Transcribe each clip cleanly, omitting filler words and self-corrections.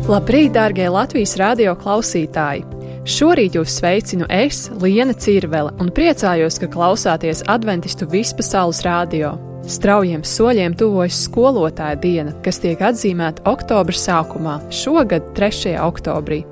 Labrīt, dārgie Latvijas radio klausītāji! Šorīt jūs sveicinu es, Liena Cirvele, un priecājos, ka klausāties Adventistu vispasaules radio. Straujiem soļiem tuvojas skolotāja diena, kas tiek atzīmēta oktobra sākumā, šogad 3. oktobrī.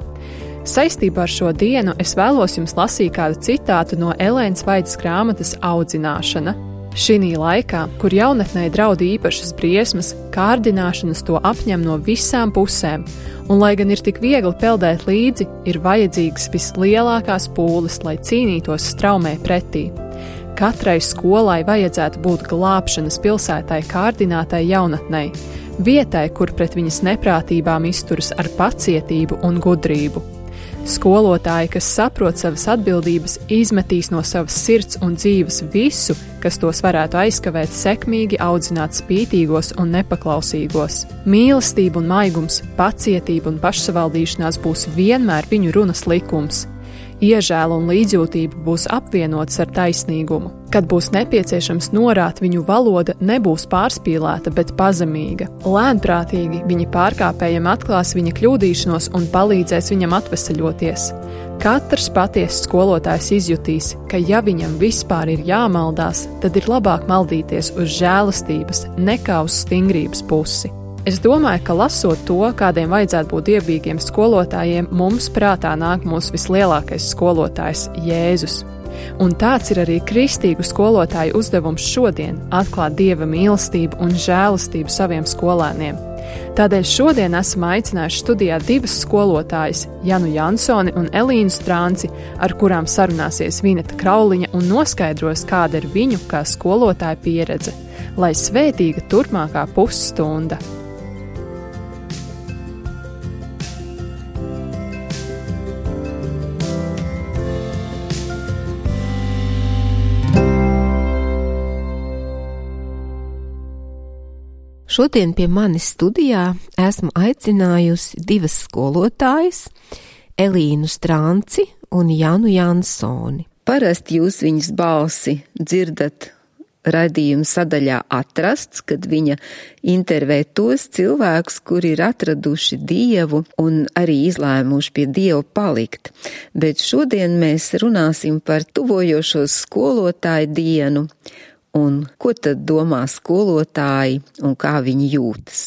Saistībā ar šo dienu es vēlos jums lasīt kādu citātu no Elēnas Vaidas grāmatas Audzināšana. Šinī laikā, kur jaunatnei draud īpašas briesmas, kārdināšanas to apņem no visām pusēm, un lai gan ir tik viegli peldēt līdzi, ir vajadzīgas vislielākās pūles, lai cīnītos straumē pretī. Katrai skolai vajadzētu būt glābšanas pilsētai kārdinātai jaunatnei, vietai, kur pret viņas neprātībām izturas ar pacietību un gudrību. Skolotāji, kas saprot savas atbildības, izmetīs no savas sirds un dzīves visu, kas tos varētu aizkavēt sekmīgi audzināt spītīgos un nepaklausīgos. Mīlestība un maigums, pacietība un pašsavaldīšanās būs vienmēr viņu runas likums. Iežēla un līdzjūtība būs apvienotas ar taisnīgumu. Kad būs nepieciešams norāt, viņu valoda nebūs pārspīlēta, bet pazemīga. Lēnprātīgi viņi pārkāpējiem atklās viņa kļūdīšanos un palīdzēs viņam atvesaļoties. Katrs patiesas skolotājs izjutīs, ka ja viņam vispār ir jāmaldās, tad ir labāk maldīties uz žēlastības nekā uz stingrības pusi. Es domāju, ka lasot to, kādiem vajadzētu būt dievbijīgiem skolotājiem, mums prātā nāk mūsu vislielākais skolotājs Jēzus. Un tāds ir arī kristīgu skolotāju uzdevums šodien – atklāt Dieva mīlestību un žēlastību saviem skolēniem. Tādēļ šodien esam aicinājuši studijā divas skolotājas – Janu Jansoni un Elīnu Strānci, ar kurām sarunāsies Vineta Krauliņa un noskaidros, kāda ir viņu kā skolotāja pieredze. Lai svētīga turpmākā pusstunda! Šodien pie manis studijā esmu aicinājusi divas skolotājas, Elīnu Strānci un Janu Jansoni. Parasti jūs viņas balsi dzirdat raidījuma sadaļā Atrasts, kad viņa intervē tos cilvēkus, kuri ir atraduši Dievu un arī izlēmuši pie Dieva palikt. Bet šodien mēs runāsim par tuvojošos skolotāju dienu. Un ko tad domā skolotāji un kā viņi jūtas?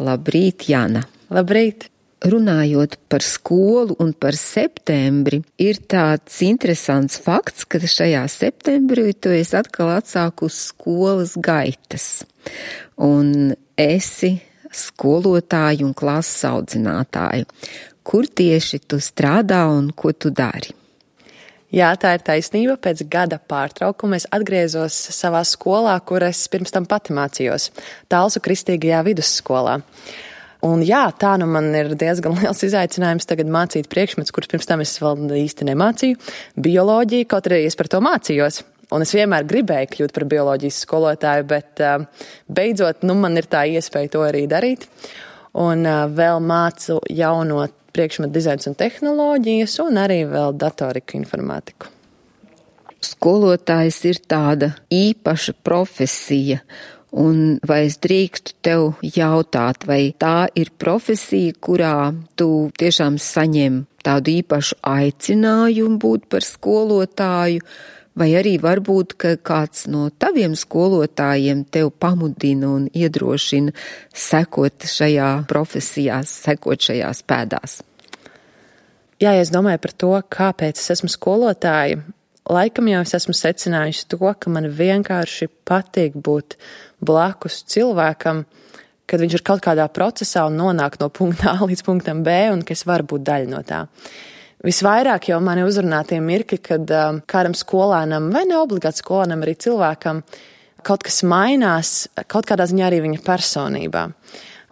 Labrīt, Jana! Labrīt! Runājot par skolu un par septembri, ir tāds interesants fakts, ka šajā septembrī tu esi atkal atsākusi skolas gaitas. Un esi skolotāju un klases audzinātāju. Kur tieši tu strādā un ko tu dari? Jā, tā ir taisnība. Pēc gada pārtraukuma es atgriezos savā skolā, kur es pirms tam pati mācījos, Talsu Kristīgajā vidusskolā. Un jā, tā nu man ir diezgan liels izaicinājums tagad mācīt priekšmetus, kurus pirms tam es vēl īsti nemācīju, bioloģiju, kaut arī es par to mācījos. Un es vienmēr gribēju kļūt par bioloģijas skolotāju, bet beidzot, man ir tā iespēja to arī darīt. Un vēl mācu jauno priekšmetu dizains un tehnoloģijas, un arī vēl datoriku informātiku. Skolotājs ir tāda īpaša profesija, un vai es drīkstu tev jautāt, vai tā ir profesija, kurā tu tiešām saņem tādu īpašu aicinājumu būt par skolotāju, vai arī varbūt, ka kāds no taviem skolotājiem tev pamudina un iedrošina sekot šajā profesijā, sekot šajās pēdās? Jā, ja es domāju par to, kāpēc es esmu skolotāja, laikam jau es esmu secinājusi to, ka man vienkārši patīk būt blakus cilvēkam, kad viņš ir kaut kādā procesā un nonāk no punkta A līdz punktam B, un ka es varu būt daļa no tā. Visvairāk jau mani uzrunā tie mirkļi, kad kādam skolēnam, vai ne obligāti skolēnam, arī cilvēkam, kaut kas mainās, kaut kādā ziņā arī viņa personībā.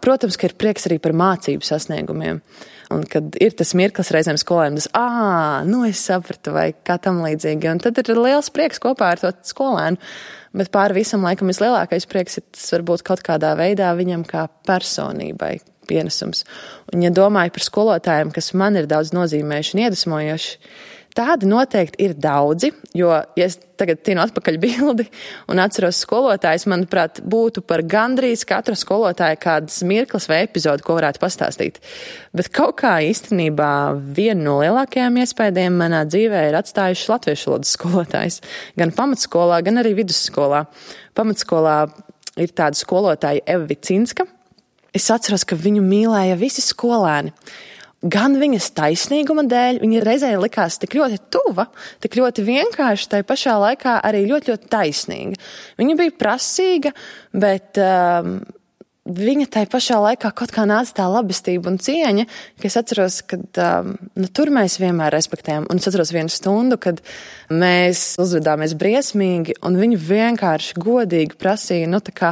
Protams, ka ir prieks arī par mācību sasniegumiem. Un kad ir tas mirklis reizēm skolēnam, es sapratu, vai kā tam līdzīgi. Un tad ir liels prieks kopā ar to skolēnu. Bet pāri visam laikam vislielākais prieks ir tas varbūt kaut kādā veidā viņam kā personībai, pienesums. Un, ja domāju par skolotājiem, kas man ir daudz nozīmējuši un iedvesmojuši, tādi noteikti ir daudzi, jo, ja es tagad tinu atpakaļ bildi un atceros skolotājus, manuprāt, būtu par gandrīz katru skolotāju kādas mirklis vai epizodu, ko varētu pastāstīt. Bet kaut kā īstenībā viena no lielākajām iespējām manā dzīvē ir atstājuši latviešu valodas skolotājs. Gan pamatskolā, gan arī vidusskolā. Pamatskolā ir tāda skolotāja Eva Vicinska. Es atceros, ka viņu mīlēja visi skolēni. Gan viņas taisnīguma dēļ, viņa reizē likās tik ļoti tuva, tik ļoti vienkārši, tai pašā laikā arī ļoti, ļoti taisnīga. Viņa bija prasīga, bet viņa tai pašā laikā kaut kā nāca tā labestība un cieņa, ka es atceros, ka tur mēs vienmēr respektējam. Un es atceros vienu stundu, kad mēs uzvedāmies briesmīgi, un viņa vienkārši godīgi prasīja, tā kā,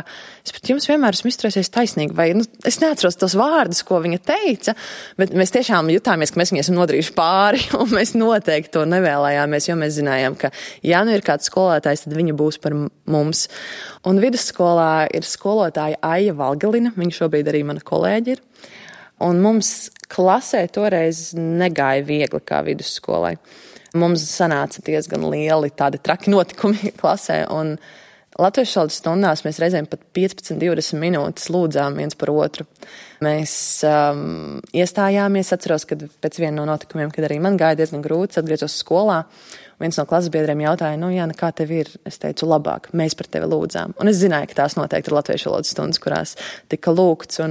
es pret jums vienmēr esmu izturēsies taisnīgi, vai, es neatceros tos vārdus, ko viņa teica, bet mēs tiešām jutāmies, ka mēs viņai esam nodarījuši pāri, un mēs noteikti to nevēlējāmies, jo mēs zinājām, ka, ja ir kāds skolotājs, tad viņa būs par mums. Un vidusskolā ir skolotāja Aija Valgalina, viņa šobrīd arī mana kolēģi ir, un mums klasē toreiz negāja viegli kā vidusskolai. Mums sanāca diezgan lieli tādi traki notikumi klasē, un latviešu valodas stundās mēs reizēm pat 15-20 minūtes lūdzām viens par otru. Mēs iestājāmies, atceros, kad pēc viena no notikumiem, kad arī man gāja diezgan grūti, atgriezos skolā. Viens no klases biedriem jautāja, Jāna, kā tev ir? Es teicu, labāk, mēs par tevi lūdzām. Un es zināju, ka tās noteikti ir latviešu valodas stundas, kurās tika lūgts.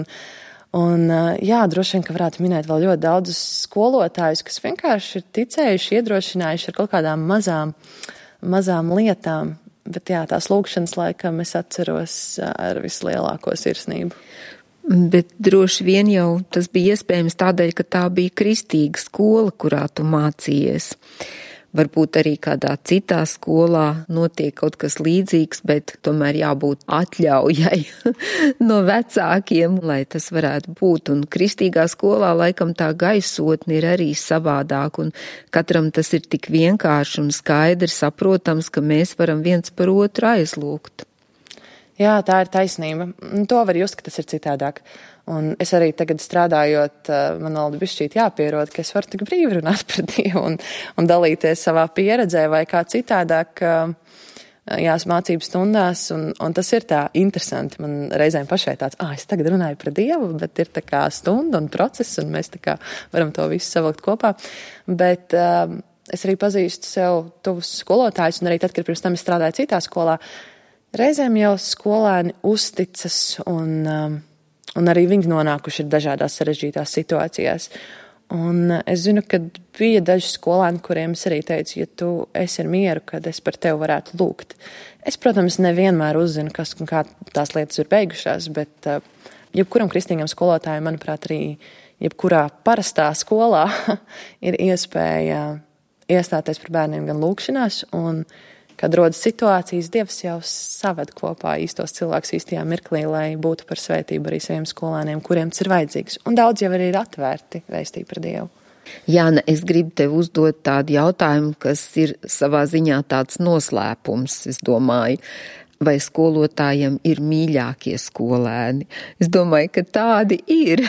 Un droši vien, ka varētu minēt vēl ļoti daudzus skolotājus, kas vienkārši ir ticējuši, iedrošinājuši ar kaut kādām mazām lietām. Bet tās lūgšanas laikam es atceros ar vislielāko sirsnību. Bet droši vien jau tas bija iespējams tādēļ, ka tā bija kristīga skola, kurā tu mācījies. Varbūt arī kādā citā skolā notiek kaut kas līdzīgs, bet tomēr jābūt atļaujai no vecākiem, lai tas varētu būt. Un kristīgā skolā laikam tā gaisotne ir arī savādāk, un katram tas ir tik vienkārši un skaidri saprotams, ka mēs varam viens par otru aizlūgt. Jā, tā ir taisnība. To var just, ka tas ir citādāk. Un es arī tagad strādājot, man vēl bišķīt jāpierod, ka es varu tik brīvi runāt par Dievu un dalīties savā pieredzē vai kā citādāk mācību stundās. Un tas ir tā interesanti. Man reizēm pašai tāds, es tagad runāju par Dievu, bet ir tā kā stunda un process, un mēs tā kā varam to visu savilkt kopā. Bet es arī pazīstu sev tuvus skolotājus, un arī tad, kad pirms tam es strādāju citā skolā, reizēm jau skolēni uzticas un arī viņi nonākuši ir dažādās sarežģītās situācijās. Un es zinu, ka bija daži skolēni, kuriem es arī teicu, ja tu esi ar mieru, kad es par tevi varētu lūgt. Es, protams, nevienmēr uzzinu, kas un kā tās lietas ir beigušās, bet jebkuram kristīgam skolotājam, manuprāt, arī jebkurā parastā skolā ir iespēja iestāties par bērniem gan lūgšanās, un kad rodas situācijas, Dievs jau saved kopā īstos cilvēkus īstajā mirklī, lai būtu par svētību arī saviem skolēniem, kuriem tas ir vajadzīgs. Un daudz jau arī ir atvērti vēstī par Dievu. Jāna, es gribu tev uzdot tādu jautājumu, kas ir savā ziņā tāds noslēpums, es domāju. Vai skolotājiem ir mīļākie skolēni? Es domāju, ka tādi ir,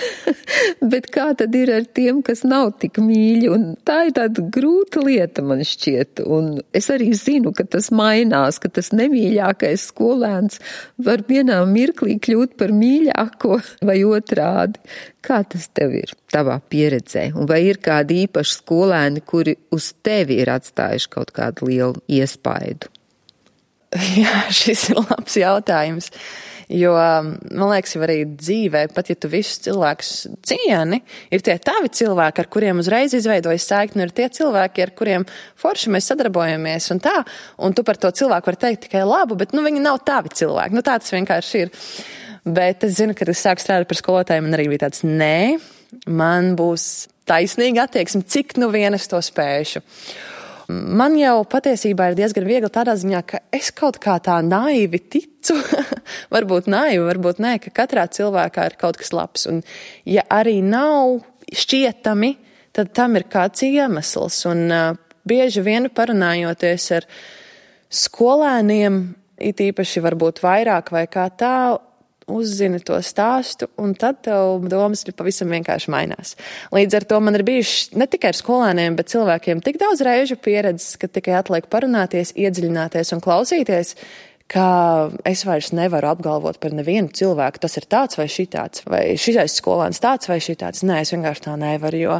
bet kā tad ir ar tiem, kas nav tik mīļi? Un tā ir tāda grūta lieta, man šķiet. Un es arī zinu, ka tas mainās, ka tas nemīļākais skolēns var vienā mirklī kļūt par mīļāko vai otrādi. Kā tas tev ir tavā pieredzē? Un vai ir kādi īpaši skolēni, kuri uz tevi ir atstājuši kaut kādu lielu iespaidu? Jā, šis ir labs jautājums, jo, man liekas, jau arī dzīvē, pat ja tu visus cilvēkus cieni, ir tie tavi cilvēki, ar kuriem uzreiz izveidojas saikni, ir tie cilvēki, ar kuriem forši mēs sadarbojamies un tā, un tu par to cilvēku var teikt tikai labu, bet, viņi nav tavi cilvēki, tā tas vienkārši ir. Bet es zinu, kad es sāku strādāt par skolotājiem, man arī bija tāds, nē, man būs taisnīga attieksme, cik vien es to spēšu. Man jau patiesībā ir diezgan viegli tādā ziņā, ka es kaut kā tā naivi ticu, varbūt naivi, varbūt nē, ka katrā cilvēkā ir kaut kas labs. Un ja arī nav šķietami, tad tam ir kāds iemesls. Un bieži vien parunājoties ar skolēniem, it īpaši varbūt vairāk vai kā tā, uzzini to stāstu, un tad tev domas pavisam vienkārši mainās. Līdz ar to man ir bijuši ne tikai ar skolēniem, bet cilvēkiem tik daudz reižu pieredzes, ka tikai atliek parunāties, iedziļināties un klausīties, ka es vairs nevaru apgalvot par nevienu cilvēku, tas ir tāds vai šitāds, vai šitais skolēns tāds vai šitāds. Nē, es vienkārši tā nevaru, jo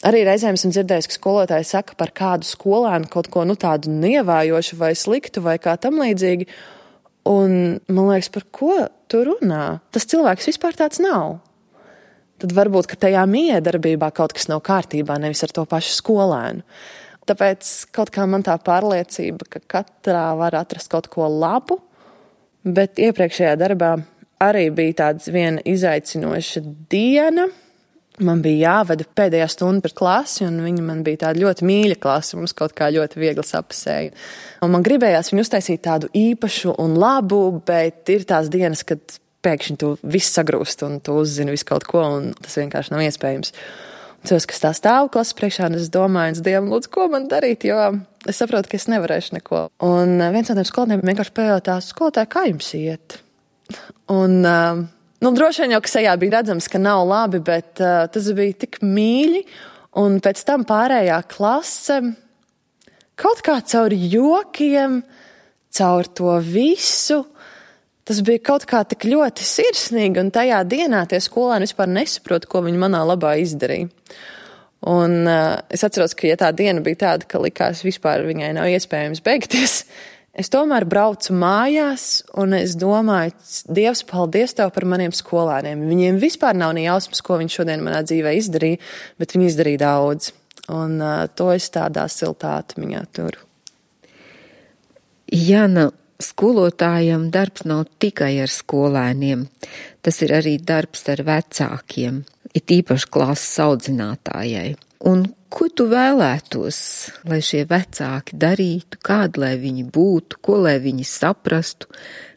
arī reizēm esmu dzirdējis, ka skolotāji saka par kādu skolēnu kaut ko tādu nievājošu vai sliktu vai kā tam līdzīgi. Un man liekas, par ko tu runā? Tas cilvēks vispār tāds nav. Tad varbūt, ka tajā miedarbībā kaut kas nav kārtībā, nevis ar to pašu skolēnu. Tāpēc kaut kā man tā pārliecība, ka katrā var atrast kaut ko labu, bet iepriekšējā darbā arī bija tāds viena izaicinoša diena. Man bija jāvada pēdējā stunda par klasi, un viņa man bija tāda ļoti mīļa klase, mums kaut kā ļoti viegli sapasēja. Un man gribējās viņu uztaisīt tādu īpašu un labu, bet ir tās dienas, kad pēkšņi tu viss sagrūst, un tu uzzini visu kaut ko, un tas vienkārši nav iespējams. Cilvēks, kas tā stāv klases priekšā, un es domāju, Dievam, lūdzu, ko man darīt, jo es saprotu, ka es nevarēšu neko. Un viens no tiem skolotājiem vienkārši pajautās, skolotāji, kā jums iet? Un, droši vien jau, ka sejā bija redzams, ka nav labi, bet tas bija tik mīļi, un pēc tam pārējā klase kaut kā caur jokiem, caur to visu, tas bija kaut kā tik ļoti sirsnīgi, un tajā dienā tie skolēni vispār nesaprot, ko viņi manā labā izdarīja. Un es atceros, ka ja tā diena bija tāda, ka likās vispār viņai nav iespējams beigties, es tomēr braucu mājās, un es domāju, Dievs, paldies Tev par maniem skolēniem. Viņiem vispār nav ne jausmas, ko viņi šodien manā dzīvē izdarīja, bet viņi izdarīja daudz. Un to es tādā siltā atmiņā turu. Jana, skolotājam darbs nav tikai ar skolēniem, tas ir arī darbs ar vecākiem, it īpaši klases audzinātājai. Un ko tu vēlētos, lai šie vecāki darītu, kādi lai viņi būtu, ko lai viņi saprastu,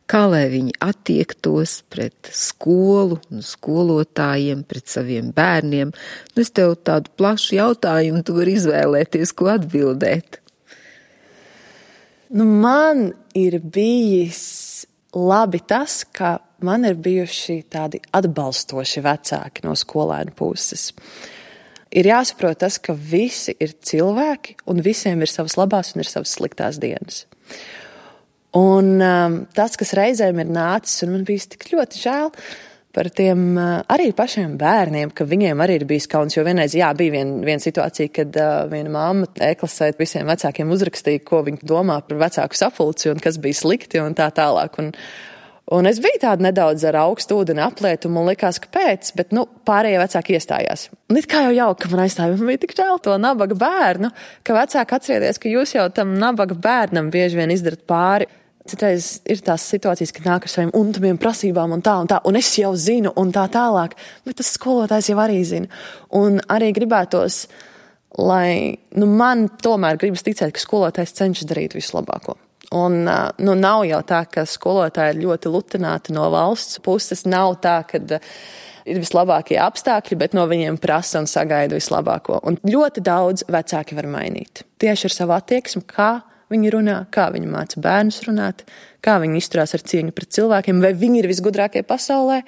kā lai viņi attiektos pret skolu un skolotājiem, pret saviem bērniem? Es tev tādu plašu jautājumu, tu vari izvēlēties, ko atbildēt. Man ir bijis labi tas, ka man ir bijuši tādi atbalstoši vecāki no skolēnu puses. Ir jāsaprot tas, ka visi ir cilvēki un visiem ir savas labās un ir savas sliktās dienas. Un tas, kas reizēm ir nācis, un man bijis tik ļoti žēl par tiem arī pašiem bērniem, ka viņiem arī ir bijis kauns, jo vienreiz, bija viena situācija, kad viena mamma e-klasē visiem vecākiem uzrakstīja, ko viņi domā par vecāku sapulci un kas bija slikti un tā tālāk. Un es biju tāda nedaudz ar augstu ūdeni aplietu, un man likās, ka pēc, bet pārējie vecāki iestājās. Un it kā jau jauka, ka man aizstāja, man bija tik žēl to nabaga bērnu, ka vecāki atcerieties, ka jūs jau tam nabaga bērnam bieži vien izdarat pāri. Citreiz ir tās situācijas, kad nāk ar saviem untumiem prasībām un tā, un es jau zinu un tā tālāk, bet tas skolotājs jau arī zina. Un arī gribētos, lai, man tomēr gribas ticēt, ka skolotājs cenšas darīt visu labāko. Un nav jau tā, ka skolotāji ir ļoti lutināti no valsts puses, nav tā, ka ir vislabākie apstākļi, bet no viņiem prasa un sagaida vislabāko. Un ļoti daudz vecāki var mainīt. Tieši ar savu attieksmi, kā viņi runā, kā viņi māca bērnus runāt, kā viņi izturās ar cieņu pret cilvēkiem, vai viņi ir visgudrākie pasaulē,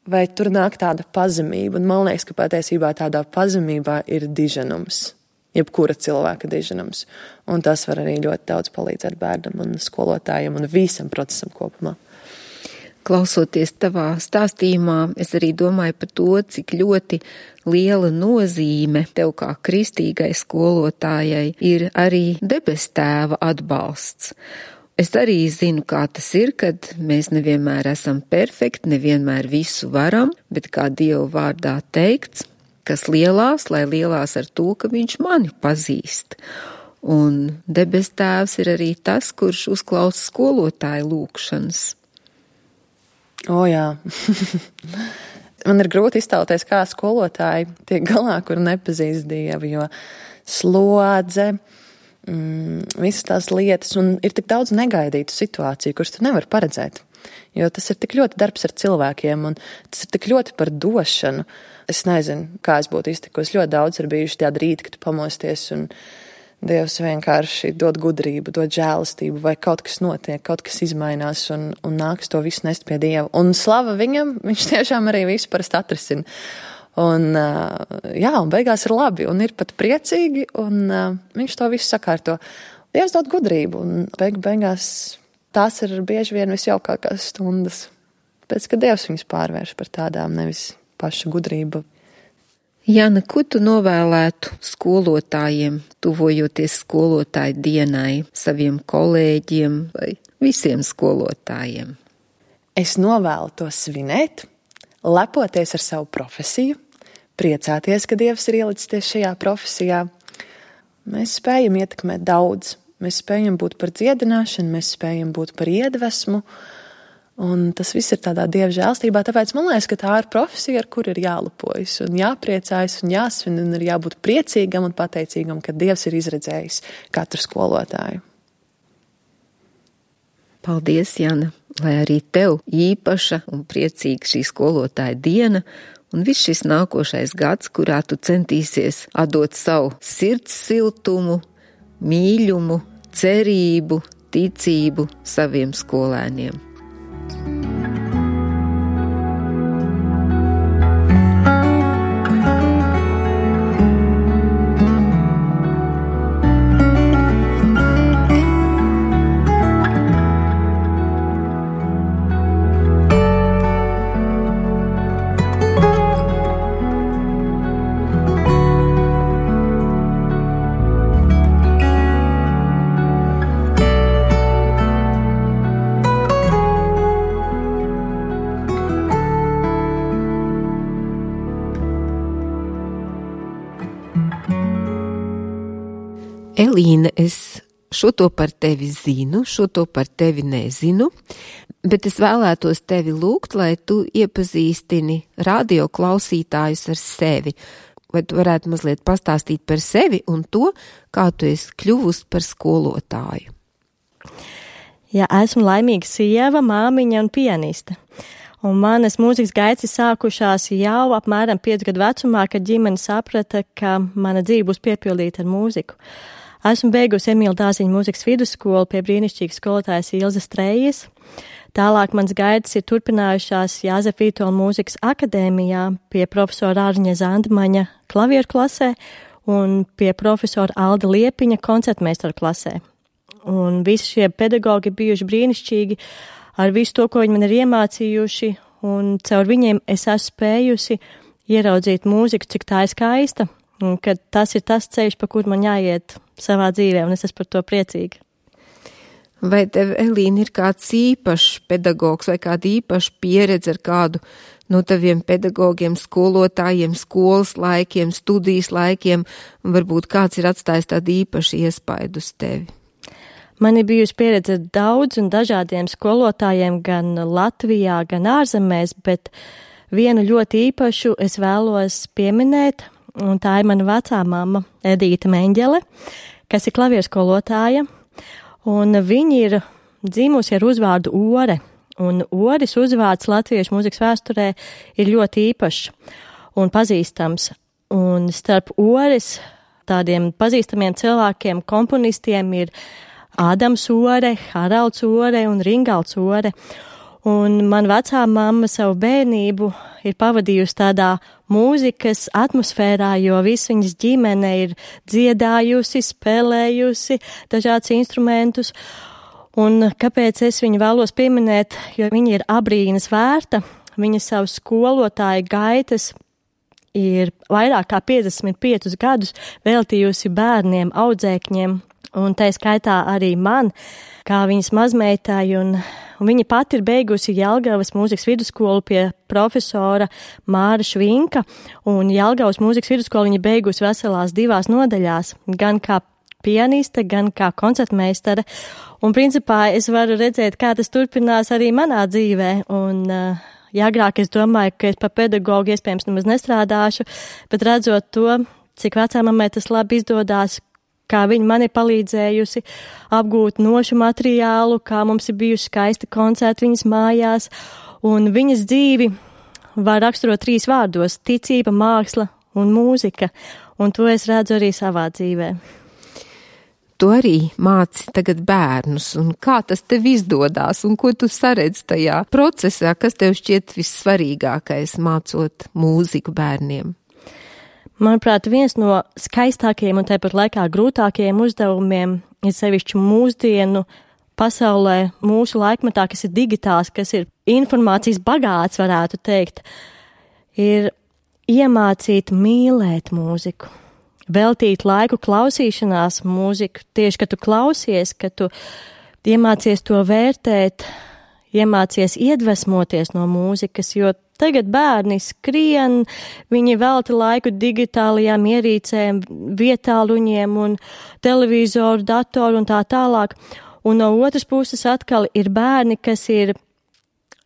vai tur nāk tāda pazemība. Un man liekas, ka patiesībā tādā pazemībā ir diženums, jebkura cilvēka diženums. Un tas var arī ļoti daudz palīdzēt bērnam un skolotājiem un visam procesam kopumā. Klausoties tavā stāstījumā, es arī domāju par to, cik ļoti liela nozīme tev kā kristīgai skolotājai ir arī debes tēva atbalsts. Es arī zinu, kā tas ir, kad mēs nevienmēr esam perfekti, nevienmēr visu varam, bet kā Dieva vārdā teikts, kas lielās, lai lielās ar to, ka viņš mani pazīst. Un debes tēvs ir arī tas, kurš uzklausa skolotāju lūgšanas. Jā. Man ir grūti iztēloties, kā skolotāji tiek galā, kur nepazīst Dievu, jo slodze, visas tās lietas, un ir tik daudz negaidītu situāciju, kuras tu nevari paredzēt. Jo tas ir tik ļoti darbs ar cilvēkiem, un tas ir tik ļoti par došanu. Es nezinu, kā es būtu iztikusi. Ļoti daudz ir bijuši tādi rīti, kad tu pamosties, un Dievs vienkārši dod gudrību, dod žēlastību, vai kaut kas notiek, kaut kas izmainās un nāks to visu nest pie Dieva. Un slava viņam, viņš tiešām arī visu parasti atrisina. Un beigās ir labi un ir pat priecīgi, un viņš to visu sakārto. Dievs dod gudrību, un beigās tās ir bieži vien visjaukākās stundas. Pēc, ka Dievs viņus pārvērš par tādām, nevis paša gudrība. Jana, ko tu novēlētu skolotājiem, tuvojoties skolotāju dienai, saviem kolēģiem vai visiem skolotājiem? Es novēlu to svinēt, lepoties ar savu profesiju, priecāties, ka Dievs ir ielicis tieši šajā profesijā. Mēs spējam ietekmēt daudz. Mēs spējam būt par dziedināšanu, mēs spējam būt par iedvesmu, un tas viss ir tādā Dieva žēlstībā, tāpēc man liekas, ka tā ir profesija, ar kur ir jālepojas un jāpriecājas un jāsvin un ir jābūt priecīgam un pateicīgam, ka Dievs ir izredzējis katru skolotāju. Paldies, Jana, lai arī tev īpaša un priecīga šī skolotāja diena un viss šis nākošais gads, kurā tu centīsies atdot savu sirds siltumu, mīļumu, cerību, ticību saviem skolēniem. Elīna, es šo to par tevi zinu, šo to par tevi nezinu, bet es vēlētos tevi lūgt, lai tu iepazīstini radio klausītājus ar sevi. Vai tu varētu mazliet pastāstīt par sevi un to, kā tu esi kļuvusi par skolotāju? Jā, esmu laimīga sieva, māmiņa un pianiste. Un manas mūzikas gaitas sākušās jau apmēram 5 gadu vecumā, kad ģimene saprata, ka mana dzīve būs piepildīta ar mūziku. Esmu beigusi Emīla Dāziņa mūzikas vidusskolu pie brīnišķīgas skolotājas Ilzas Trejas. Tālāk mans gaitas ir turpinājušās Jāzepa Vītola mūzikas akadēmijā pie profesora Ārņa Zandmaņa klavieru klasē un pie profesora Alda Liepiņa koncertmeistaru klasē. Un visi šie pedagogi bijuši brīnišķīgi ar visu to, ko viņi man ir iemācījuši, un caur viņiem es esmu spējusi ieraudzīt mūziku, cik tā ir skaista, un ka tas ir tas ceļš, pa kur man jāiet savā dzīvē, un es esmu par to priecīga. Vai tev, Elīna, ir kāds īpašs pedagogs vai kāda īpaša pieredze ar kādu no taviem pedagogiem, skolotājiem, skolas laikiem, studijas laikiem, un varbūt kāds ir atstājis tādu īpašu iespaidu uz tevi? Man ir bijusi pieredze ar daudz un dažādiem skolotājiem gan Latvijā, gan ārzemēs, bet vienu ļoti īpašu es vēlos pieminēt, un tā ir mana vecā mamma Edīta Meņģele, kas ir klavieru skolotāja, un viņa ir dzimusi ar uzvārdu Ore, un Oris uzvārds latviešu mūzikas vēsturē ir ļoti īpašs un pazīstams, un starp Oris tādiem pazīstamiem cilvēkiem, komponistiem ir Ādams Ore, Haralds Ore un Ringalds Ore. Un man vecā mamma savu bērnību ir pavadījusi tādā mūzikas atmosfērā, jo viss viņas ģimene ir dziedājusi, spēlējusi dažādus instrumentus. Un kāpēc es viņu vēlos pieminēt, jo viņa ir abrīnas vērta, viņa savu skolotāju gaitas ir vairāk kā 55 gadus veltījusi bērniem, audzēkņiem. Un tā skaitā arī man, kā viņas mazmeitai, un viņa pati ir beigusi Jelgavas mūzikas vidusskolu pie profesora Māra Švinka, un Jelgavas mūzikas vidusskolu viņa beigusi veselās 2 nodaļās, gan kā pianiste, gan kā koncertmeistare, un principā es varu redzēt, kā tas turpinās arī manā dzīvē, un agrāk es domāju, ka es par pedagogu iespējams nemaz nestrādāšu, bet redzot to, cik vecāmammai tas labi izdodās, kā viņa man ir palīdzējusi apgūt nošu materiālu, kā mums ir bijuši skaisti koncerti viņas mājās, un viņas dzīvi var raksturot 3 vārdos – ticība, māksla un mūzika, un to es redzu arī savā dzīvē. Tu arī māci tagad bērnus, un kā tas tev izdodās, un ko tu saredz tajā procesā, kas tev šķiet vissvarīgākais mācot mūziku bērniem? Manuprāt, viens no skaistākajiem un tāpat laikā grūtākajiem uzdevumiem ir sevišķi mūsdienu pasaulē, mūsu laikmetā, kas ir digitāls, kas ir informācijas bagāts, varētu teikt, ir iemācīt mīlēt mūziku, veltīt laiku klausīšanās mūziku, tieši, kad tu klausies, kad tu iemācies to vērtēt, iemācies iedvesmoties no mūzikas, jo tagad bērni skrien, viņi velta laiku digitālajām ierīcēm, vietāluņiem un televizoru, datoru un tā tālāk. Un no otras puses atkal ir bērni, kas ir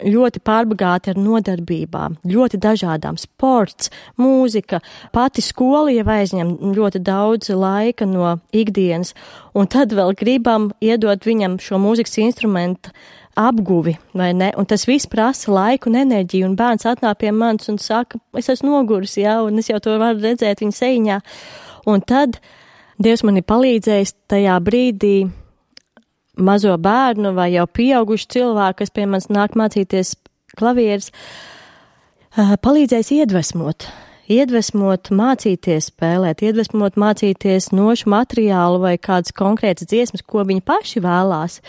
ļoti pārbagāti ar nodarbībām, ļoti dažādām, sports, mūzika, pati skola jau aizņem ļoti daudz laika no ikdienas, un tad vēl gribam iedot viņam šo mūzikas instrumentu apguvi, vai ne? Un tas viss prasa laiku un enerģiju, un bērns atnāk pie manis un saka, es esmu noguris, jā, un es jau to varu redzēt viņa seiņā. Un tad Dievs man ir palīdzējis tajā brīdī mazo bērnu vai jau pieaugušu cilvēku, kas pie manis nāk mācīties klavieres, palīdzējis iedvesmot, mācīties spēlēt, iedvesmot, mācīties nošu materiālu vai kādas konkrētas dziesmas, ko viņi paši vēlās.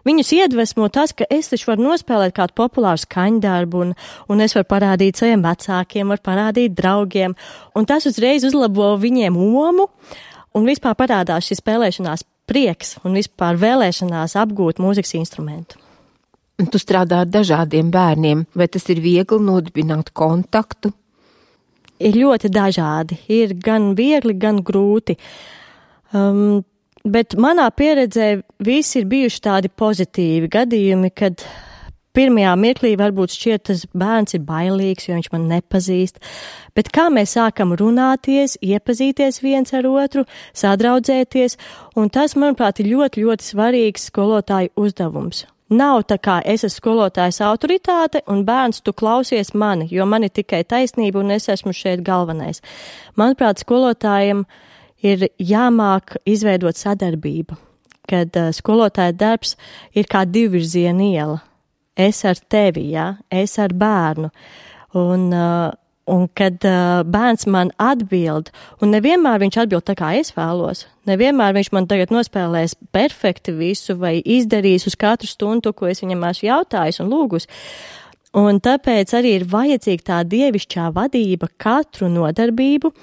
Viņus iedvesmo tas, ka es taču varu nospēlēt kādu populāru skaņdarbu, un es varu parādīt saviem vecākiem, varu parādīt draugiem, un tas uzreiz uzlabo viņiem omu, un vispār parādās šis spēlēšanās prieks un vispār vēlēšanās apgūt mūzikas instrumentu. Tu strādā ar dažādiem bērniem, vai tas ir viegli nodibināt kontaktu? Ir ļoti dažādi, ir gan viegli, gan grūti. Bet manā pieredzē visi ir bijuši tādi pozitīvi gadījumi, kad pirmajā mirklī varbūt šķiet, tas bērns ir bailīgs, jo viņš man nepazīst, bet kā mēs sākam runāties, iepazīties viens ar otru, sadraudzēties, un tas, manuprāt, ir ļoti, ļoti svarīgs skolotāju uzdevums. Nav tā kā es esmu skolotājs autoritāte un bērns tu klausies mani, jo man ir tikai taisnība un es esmu šeit galvenais. Manuprāt, skolotājiem ir jāmāk izveidot sadarbību, kad skolotāja darbs ir kā divvirziena iela. Es ar tevi, ja? Es ar bērnu. Un kad bērns man atbild, un nevienmēr viņš atbild tā, kā es vēlos, nevienmēr viņš man tagad nospēlēs perfekti visu vai izdarīs uz katru stundu, ko es viņam esmu jautājis un lūgus. Un tāpēc arī ir vajadzīga tā dievišķā vadība katru nodarbību,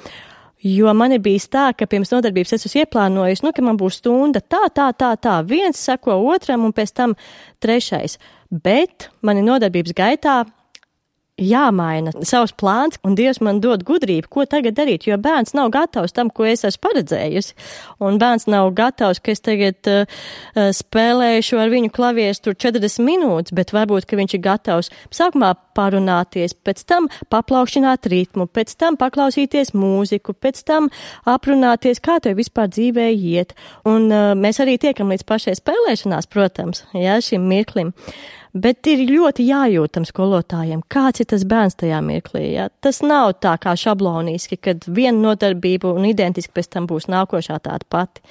jo man ir bijis tā, ka pirms nodarbības es esmu ieplānojis, ka man būs stunda tā, viens seko otram un pēc tam trešais. Bet mani nodarbības gaitā jāmaina savs plāns, un Dievs man dod gudrību, ko tagad darīt, jo bērns nav gatavs tam, ko es esmu paredzējusi, un bērns nav gatavs, ka es tagad spēlēšu ar viņu klavieres tur 40 minūtes, bet varbūt, ka viņš ir gatavs sākumā parunāties, pēc tam paplaukšķināt ritmu, pēc tam paklausīties mūziku, pēc tam aprunāties, kā tev vispār dzīvē iet, un mēs arī tiekam līdz pašai spēlēšanās, protams, šim mirklim. Bet ir ļoti jājūtam skolotājiem, kāds ir tas bērns tajā mirklī. Ja? Tas nav tā kā šabloniski, kad viena nodarbība un identiski pēc tam būs nākošā tāda pati.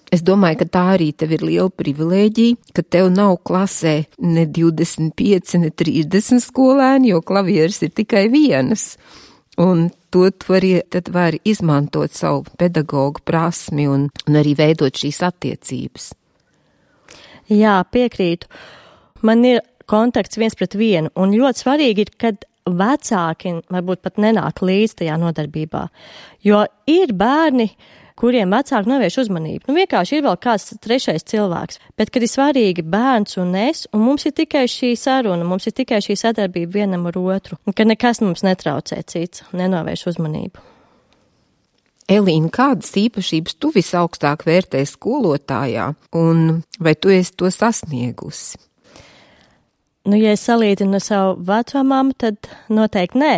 Es domāju, ka tā arī tev ir liela privilēģija, ka tev nav klasē ne 25, ne 30 skolēni, jo klavieres ir tikai vienas. Un to tad var izmantot savu pedagogu prasmi un arī veidot šīs attiecības. Jā, piekrītu. Man ir kontakts 1:1, un ļoti svarīgi ir, kad vecāki varbūt pat nenāk līdz tajā nodarbībā, jo ir bērni, kuriem vecāki novērš uzmanību. Vienkārši ir vēl kāds trešais cilvēks, bet kad ir svarīgi bērns un es, un mums ir tikai šī saruna, mums ir tikai šī sadarbība vienam ar otru, un kad nekas mums netraucē cits, nenovērš uzmanību. Elīna, kādas īpašības tu visaugstāk vērtē skolotājā, un vai tu esi to sasniegusi? Ja es salīdzinu savu vecmāmu, tad noteikti nē,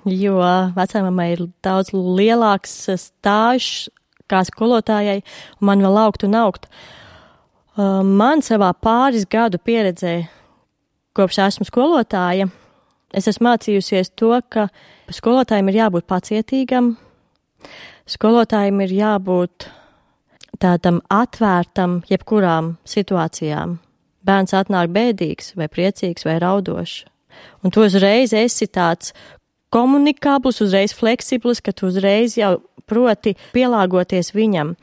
jo vecmāmai ir daudz lielāks stāžs kā skolotājai, un man vēl augt un augt. Man savā pāris gadu pieredzē, kopš esmu skolotāja, es esmu mācījusies to, ka skolotājiem ir jābūt pacietīgam, skolotājiem ir jābūt tādam atvērtam jebkurām situācijām. Bērns atnāk bēdīgs vai priecīgs vai raudošs. Un tu uzreiz esi tāds komunikabls, uzreiz fleksibls, ka tu uzreiz jau proti pielāgoties viņam.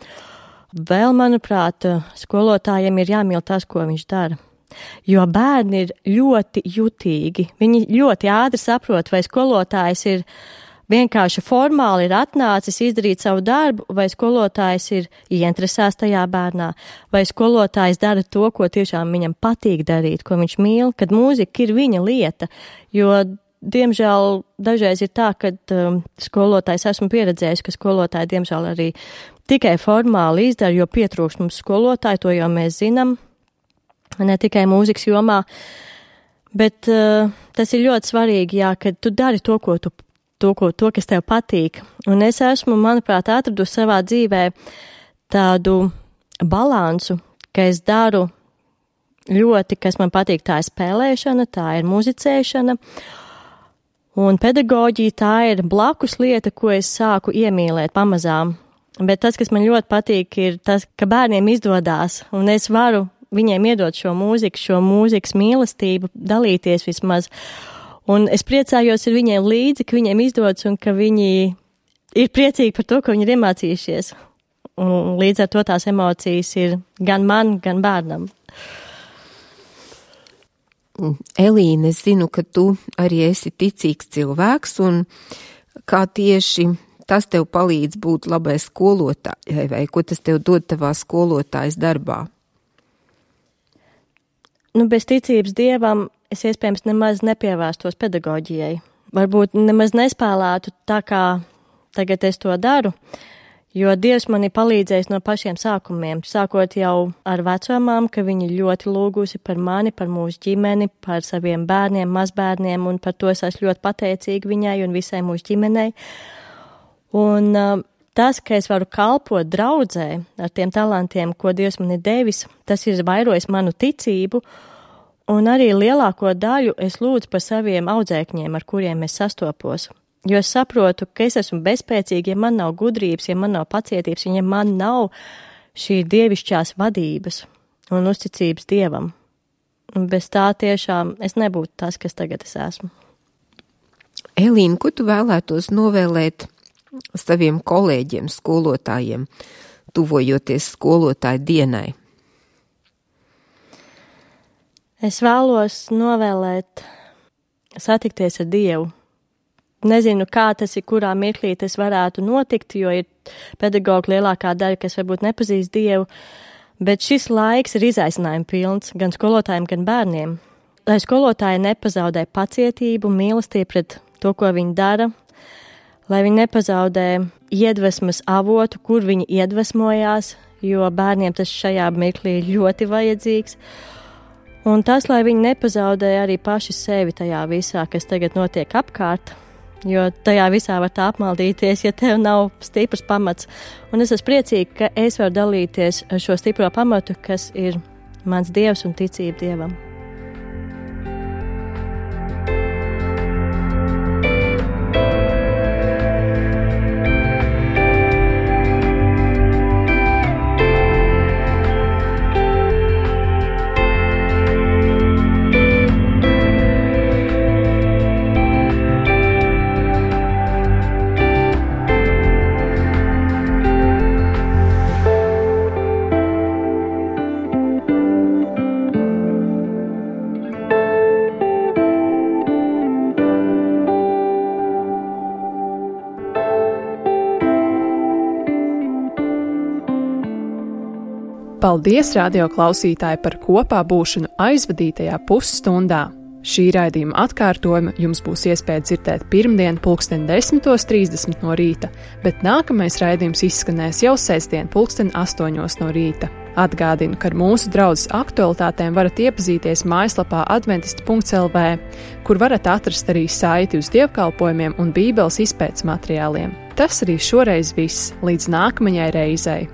Vēl, manuprāt, skolotājiem ir jāmīl tas, ko viņš dara. Jo bērni ir ļoti jutīgi. Viņi ļoti ātri saprot, vai skolotājs ir vienkārši formāli ir atnācis izdarīt savu darbu, vai skolotājs ir ieinteresēts tajā bērnā, vai skolotājs dara to, ko tiešām viņam patīk darīt, ko viņš mīl, kad mūzika ir viņa lieta. Jo, diemžēl, dažreiz ir tā, ka skolotājs esmu pieredzējis, ka skolotāji, diemžēl, arī tikai formāli izdara, jo pietrūkst mums skolotāji, to jau mēs zinām, ne tikai mūzikas jomā, bet tas ir ļoti svarīgi, jā, kad tu dari to, kas tev patīk. Un es esmu, manuprāt, atradusi savā dzīvē tādu balansu, ka es daru ļoti, kas man patīk, tā ir spēlēšana, tā ir muzicēšana, un pedagoģija tā ir blakus lieta, ko es sāku iemīlēt pamazām. Bet tas, kas man ļoti patīk, ir tas, ka bērniem izdodās, un es varu viņiem iedot šo mūzikas mīlestību, dalīties vismaz. Un es priecājos ar viņiem līdzi, ka viņiem izdodas un ka viņi ir priecīgi par to, ko viņi ir iemācījušies. Un līdz ar to tās emocijas ir gan man, gan bērnam. Elīne, es zinu, ka tu arī esi ticīgs cilvēks, un kā tieši tas tev palīdz būt labai skolotājai, vai ko tas tev dod tavā skolotājas darbā? Bez ticības Dievam es iespējams nemaz nepievērstos pedagoģijai. Varbūt nemaz nespēlētu tā, kā tagad es to daru, jo Dievs man ir palīdzējis no pašiem sākumiem, sākot jau ar vecumām, ka viņi ļoti lūgusi par mani, par mūsu ģimeni, par saviem bērniem, mazbērniem, un par to es esmu ļoti pateicīga viņai un visai mūsu ģimenei. Un tas, ka es varu kalpot draudzē ar tiem talantiem, ko Dievs man ir devis, tas ir vairojis manu ticību, un arī lielāko daļu es lūdzu par saviem audzēkņiem, ar kuriem es sastopos. Jo es saprotu, ka es esmu bezspēcīga, ja man nav gudrības, ja man nav pacietības, ja man nav šī dievišķās vadības un uzticības Dievam. Un bez tā tiešām es nebūtu tas, kas tagad es esmu. Elīna, ko tu vēlētos novēlēt saviem kolēģiem, skolotājiem, tuvojoties skolotāju dienai? Es vēlos novēlēt satikties ar Dievu. Nezinu, kā tas ir, kurā mirklī tas varētu notikt, jo ir pedagoģi lielākā daļa, kas varbūt nepazīst Dievu, bet šis laiks ir izaicinājumi pilns gan skolotājiem, gan bērniem. Lai skolotāji nepazaudē pacietību, mīlestību pret to, ko viņi dara, lai viņi nepazaudē iedvesmas avotu, kur viņi iedvesmojās, jo bērniem tas šajā mirklī ir ļoti vajadzīgs. Un tas, lai viņi nepazaudē arī paši sevi tajā visā, kas tagad notiek apkārt, jo tajā visā var tā apmaldīties, ja tev nav stiprs pamats. Un es esmu priecīga, ka es varu dalīties ar šo stipro pamatu, kas ir mans Dievs un ticība Dievam. Paldies, radio klausītāji, par kopā būšanu aizvadītajā pusstundā. Šī raidījuma atkārtojumu jums būs iespēja dzirdēt pirmdien 10:30 no rīta, bet nākamais raidījums izskanēs jau sestdien 8:00 no rīta. Atgādinu, ka ar mūsu draudzes aktualitātēm varat iepazīties mājaslapā adventisti.lv, kur varat atrast arī saiti uz dievkalpojumiem un bībeles izpētes materiāliem. Tas arī šoreiz viss, līdz nākamajai reizei.